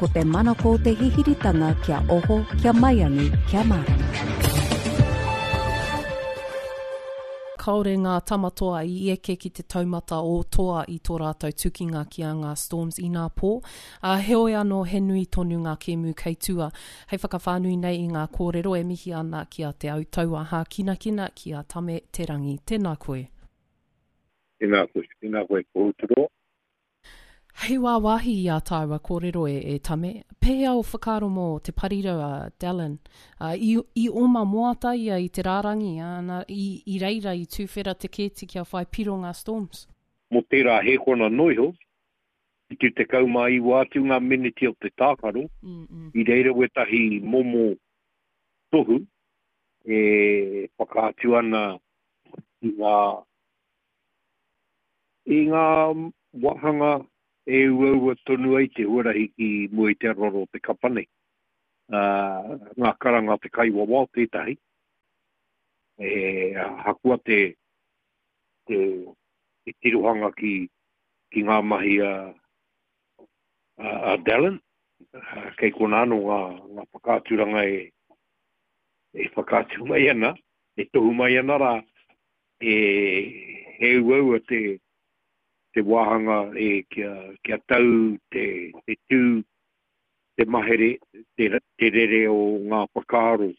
Ko te manako o te hihiritanga kia oho, kia maiangi, kia mārama. Kāore ngā Tamatoa i eke ki te taumata o toa i tō rātou tukinga ki a ngā Storms inā pō, ā, heoi anō he nui tonu ngā kēmu kei tua. Hei whakawhānui nei i ngā kōrero e mihi ana ki a Te Autaua Hākinakina, ki a Tame Te Rangi. Tēnā koe. Tēnā koe, tēnā koe Pohuturoa. Hei wāwāhi i ā tāua kōrero e, e Tame, pēhea ō whakaaro mō te parirau a Dallin? Ā, i, i oma moata ia i te rārangi, ā, nā, i, i reira i tūwhera te kēti kia whai piro ngā Storms. Mō tērā hēkona noa iho, 79 atu ngā meneti o te tākaro, i reira wētahi momo tohu e whakaatu ana i ngā I ngā wāhanga e uaua tonu ai te huarahi ki mua i te aroaro o te kapa nei, ngā karanga a te kaiwawao tētahi, e ahakoa te, te, te tirohanga ki, ki ngā mahi a, a, a Dallin, kei konā anō ngā, ngā whakaaturanga e, e whakaatu mai ana, e tohu mai ana rā, E, he uaua te, te wāhanga e, kia, kia tau te, te tū, te mahere, te, te rere o ngā whakaaro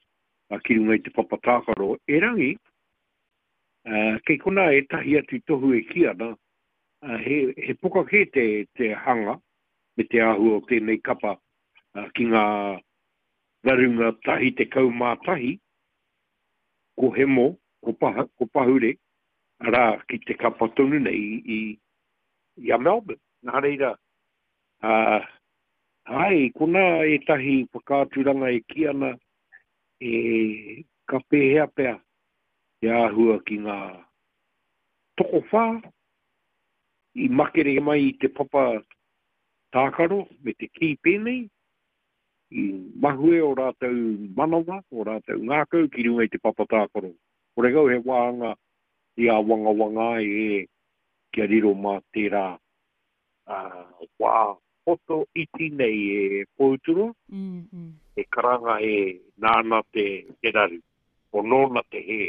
ki runga i te papa tākaro. Erangi, kei konā ētahi atu tohu e kī ana, he, he poka kē te, te hanga me te āhua o tēnei kapa ki ngā rarunga 11, ko Hemo, ko, Paha, ko Pahure, arā, ki te kapa tonu nei i, i a Melbourne. Nā reira, ā, āe, i konā ētahi whakaaturanga e kī ana, e, ka pēhea pea te āhua ki ngā tokowhā i makere mai i te papa tākaro me te kī pēnei, I mahue ō rātou manawa, ō rātou ngākau ki runga i te papa tākaro. Horekau he wāhanga i āwangawanga ai e kia riro mā tērā wā poto iti nei e Pohuturoa, he karanga e nāna te raru, o nōna te hē.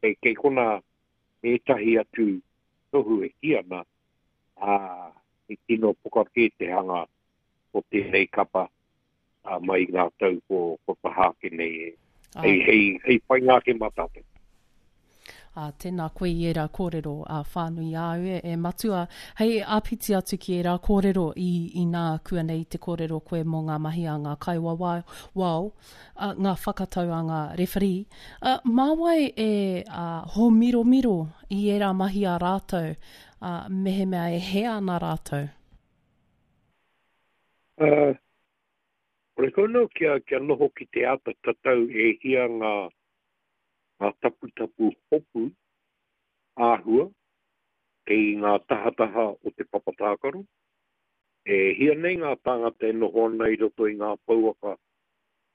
Kei konā ētahi atu tohu e kī ana, ā, he tino poka kē te hanga o tēnei kapa mai i ngā tau ko taha ake nei e, hei, hei, hei painga ake mā tātou. Ā, tēnā koe i ērā kōrero ā, whānui āu e, e Matua. Hei āpiti atu ki ērā kōrero i, inā kuanei te kōrero koe mō ngā mahi a ngā kaiwawao, wao, ā, ngā whakatau a ngā rewharī. Ā, mā wai e, ā, hōmiromiro i ērā mahi a rātou, ā, mehemea e hē ana rātou? Ā, horekau nō kia, kia noho ki te āta tatau e hia ngā, ngā taputapu hopu āhua kei ngā tahataha o te papa tākaro. E hia nei ngā tāngata e noho ana i roto i ngā pouaka,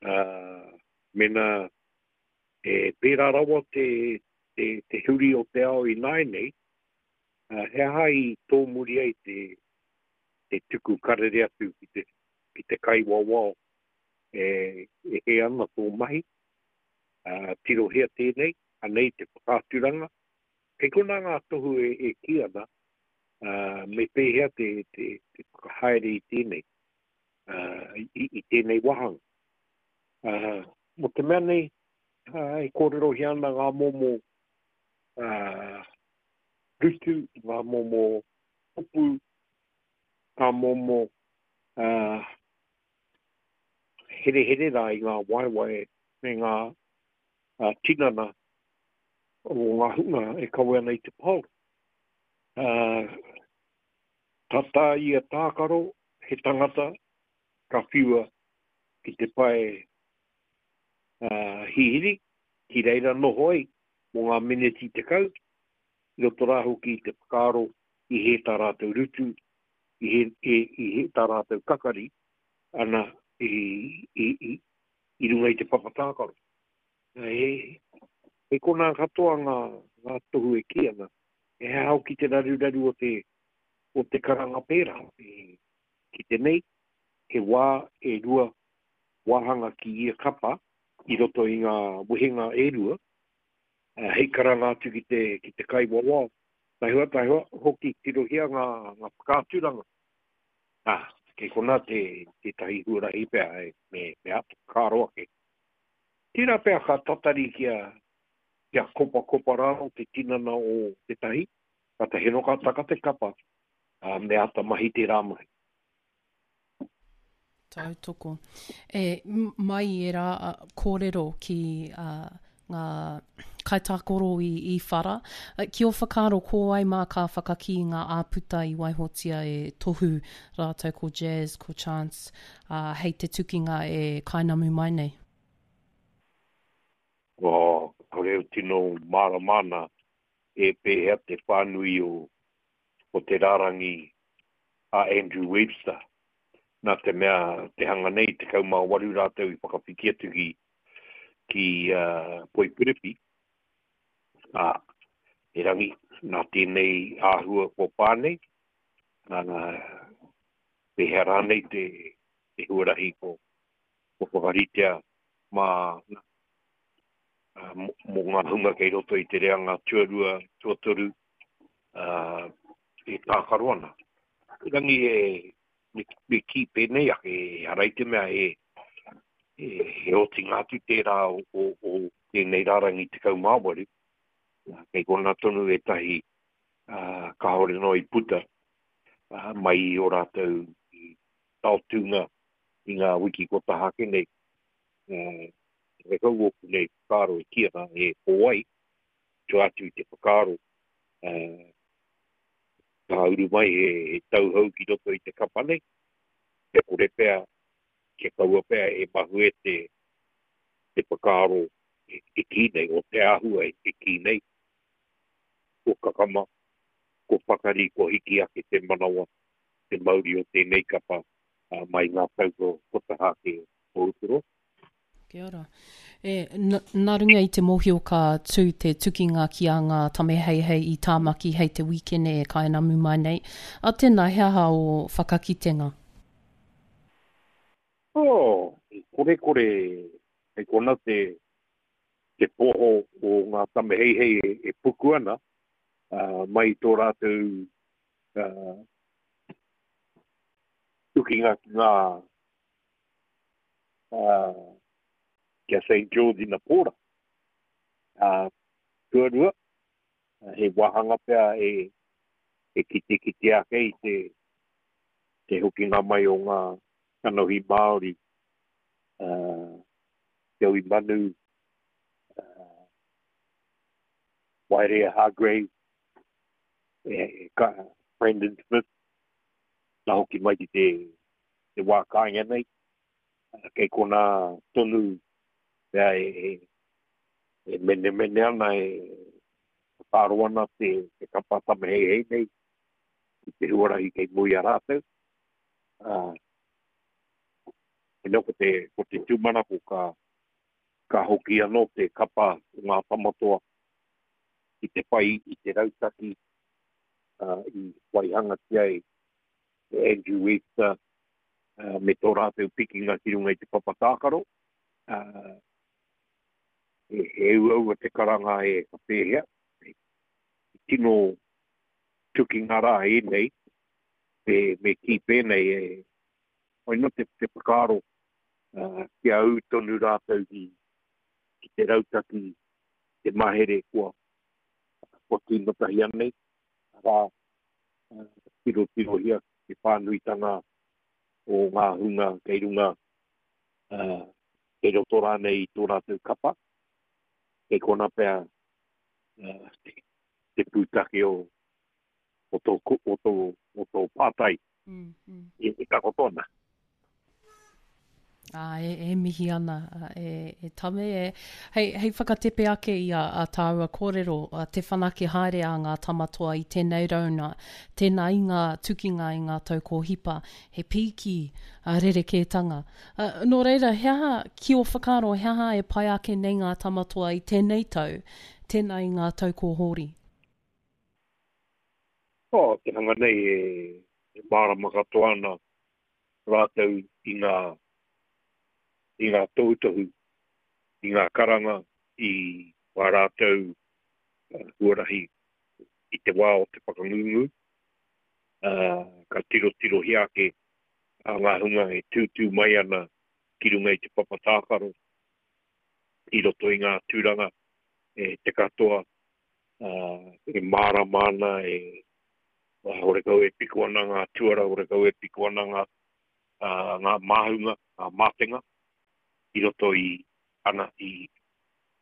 ā, mēnā e pērā rawa te, te, te huri o te ao ināianei, ā, he aha i tōmuri ai te, te tuku karere atu ki te, ki te kaiwawao e, e hē ana tō mahi, ā, tirohia tēnei, anei te whakaaturanga. Kei konā ngā tohu e, e kī ana, ā, me pēhea te, te, te whakahaere i tēnei, ā, i, i tēnei wāhanga. Ā, mō te mea nei, ā, e kōrerohia ana ngā momo, ā, rutu, ngā momo hopu, ngā momo herehere rā i ngā waewae me ngā tinana o ngā hunga e kawe ana i te paoro. Ka tā ia tākaro he tangata ka whiua ki te pae hihiri, ki reira noho ai mō ngā meneti 10, i roto rā hoki i te whakaaro i hē tā rātou rutu, i hē, i, i hē tā rātou kakari, ana, i, i, i, i runga i te papa tākaro. He, he konā katoa ngā, ngā tohu e kī ana, he aha hoki te raruraru o te, o te karanga pērā, e, ki te nei, he wā e rua wāhanga ki ia kapa i roto i ngā wehenga e rua, hei karanga atu ki te, ki te kaiwawao. Taihoa, taihoa, hoki tirohia ngā, ngā whakaaturanga. Ā, kei konā te, tētahi huarahi pea e, me, me āta whakaaro ake. Tērā pea ka tatari kia, kia kopakopa rānō te tinana o tētahi, kātahi anō ka taka te kapa, ā, me āta mahi tērā mahi. Tautoko. E, mai i ērā kōrero ki ngā kaitākaro i, i whara, ki ō whakaaro ko wai mā ka whakakī ngā āputa i waihotia e Tohu rātou ko Jazz, ko Chance, ā, hei te tukinga e kainamu mai nei? Oh, kāore au tino mārama ana e pēhea te whānui o, o te rārangi a Andrew Webster. Nā te mea, te hanga nei, 18 rātou i whakawhiti atu ki, ki uh, Poipiripi, ā, erangi, nā tēnei āhua kua pā nei, nā, pēhea rānei te, te huarahi ko, ko whakaritea mā, mō ngā hunga kei roto i te reanga tuarua, tuatoru, uh, e tākaro ana. Erangi e, me, me kī pēnei ake, ehara i te mea e, e, he otinga atu tērā o, o, o tēnei rārangi 18, kei konā tonu ētahi uh, kāore noa i puta uh, mai i ō rātou taotūnga i ngā wiki kua taha ake nei. Uh, Rekau ōku nei whakaaro e kī ana e ko wai, tua atu i te whakaaro uh, ka uru mai he, he tauhou ki roto i te kapa nei, kia kore pea, kia kaua pea e mahue te, te whakaaro e, e kī nei, o te āhua e, e kī nei, kua kakama, kua pakari, kua hiki ake te manawa, te mauri o tēnei kapa uh, mai ngā tau ko, ko taha ake o Uturoa. Kia ora. E, nā runga i te mōhio ka tū te tukinga ki a Ngā Tame Heihei i Tāmaki hei te wīkene e kainamu mai nei. A tēnā, he aha ō whakakitenga? Oh, i korekore hei kona te, te poho o Ngā Tame Heihei e, e puku ana uh, mai i tō rātou uh, tukinga ki ngā ki a Saint George inapōra. Ā, tuarua, he wāhanga pea e, e kitekite ake i te, te hokinga mai o ngā kanohi Māori, uh, Joey Manu, uh, Waerea Hargreaves, e, ka, Brandon Smith, nā hoki mai ki te, te wā kāinga nei. Kei konā tonu pea e, e menemene ana, e whakaaro ana te, te kapa tamaheihei nei ki te huarahi kei mua i a rātou. Uh, ko te, ko te tūmanako ka, ka hoki anō te kapa o ngā tamatoa ki te whai i te rautaki uh, i waihangatia e Andrew Webster me tō rātou pikinga ki runga i te papa tākaro. He uaua te karanga e ka pēhea. He tino tukinga rā ēnei, me, me kī pēnei, e, hoi no te, te whakaaro kia ū tonu rātou ki, ki te rautaki, te mahere kua, kua tīmatahia nei, arā, tirotirohia te whānuitanga o ngā hunga kei runga, kei roto rānei i tō rātou kapa, kei konā pea te pūtake o, o tō, o tō, o tō pātai mm, mm. e, e takoto ana. Ā, e, e mihi ana, e, e Tame, e, hei, hei whakatepe ake i a, a tāua kōrero, a te whanake haere a ngā tamatoa i tēnei rauna, tēnā i ngā tukinga i ngā tau kōhipa, he pīki a rerekētanga. A, nō reira, he aha, ki ō whakaaro, he aha e pai ake nei ngā tamatoa i tēnei tau, tēnā i ngā tau kō hori? Oh, te hanga nei e, e mārama katoa ana. rātou i ngā, i ngā tohutohu, i ngā karanga, i wā rātou huarahi i te wā o te whakangungu, ā, ka tirotirohia ake a ngā hunga e tūtū mai ana ki runga i te papa tākaro i roto i ngā tūranga e te katoa, ā, e mārama ana, e, horekau e piko ana ngā tuara, horekau e piko ana ngā, ā, ngā māhunga, ngā mātenga i roto i, ana, i,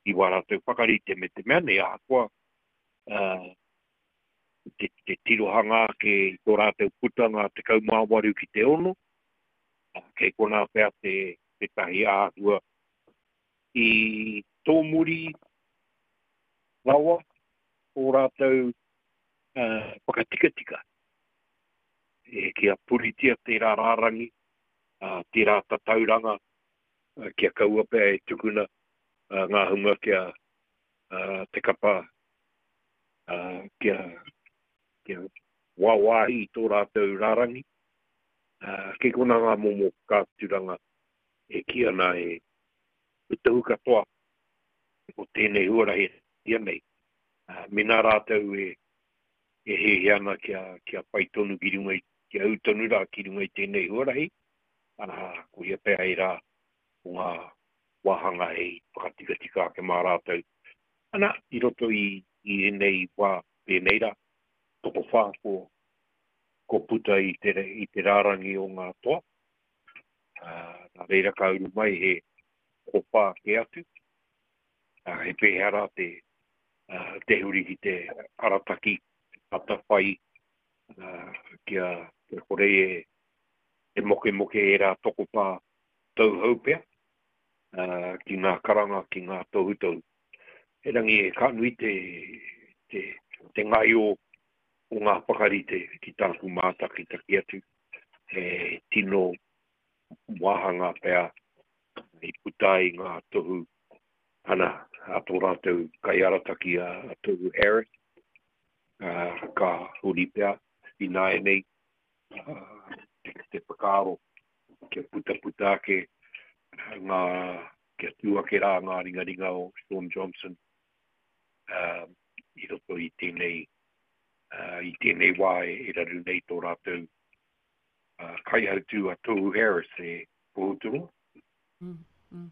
i wā rātou whakarite me te mea nei ahakoa, ā, te, te tirohanga ake i tō rātou putanga 18 ki te 6, kei konā pea te, tētahi āhua i tōmuri rawa ō rātou uh, whakatikatika e, kia puritia tērā rārangi, uh, tērā tatauranga, uh, kia kaua pea e tukuna uh, ngā hunga kia uh, te kapa uh, kia, kia wāwāhi i tō rātou rārangi. Uh, kei konā ngā momo whakaaturanga e kī ana e te tohu katoa o tēnei huarahi ia nei. Uh, mēnā rātou e, e hiahia ana kia, kia whai tonu ki runga i, kia ū tonu rā ki runga i tēnei huarahi, ana, koia pea ērā o ngā wāhanga hei whakatikatika ake mā rātou. Ana, i roto i, i ēnei wā, ēnei rā, tokowhā ko, ko puta i te, i te rārangi o ngā toa. Ā, nā reira ka uru mai he kowhā kē atu. Ā, he pēhea rā te, ā, te huri ki te arataki atawhai, ā, kia, kia kore e, e mokemoke ērā tokowhā tauhou pea, ā, ki ngā karanga, ki ngā tohutohu. Erangi, ka nui te, te, te ngaio o ngā whakarite ki tāku mātakitaki atu, he tino wāhanga pea i puta ai ngā tohu ana a tō rātou kaiarataki a Tohu Harris, ā, ka huri pea ināianei te, te whakaaro kia putaputa ake ngā, kia tū ake rā ngā ringaringa o Shaun Johnson uh, i roto i tēnei, uh, i tēnei wā e, e raru nei tō rātou uh, kaihautū a Tohu Harris e Pohuturoa. Mm. Mm.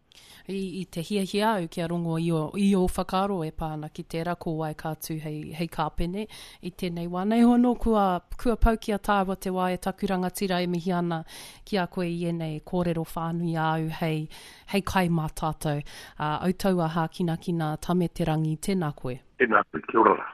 I, I te hiahia au kia rongo i ō, i ō whakaaro e pā ana ki tērā ko wai ka tū hei, hei kāpene i tēnei wā. Nei hono kua, kua pau ki a tāua te wā e taku rangatira e mihi ana ki a koe i ēnei kōrero whānui āu hei, hei kai mā tātou. Ā, au taua hākinakina Tame Te Rangi, tēnā koe. Tēnā koe, kia ora rā.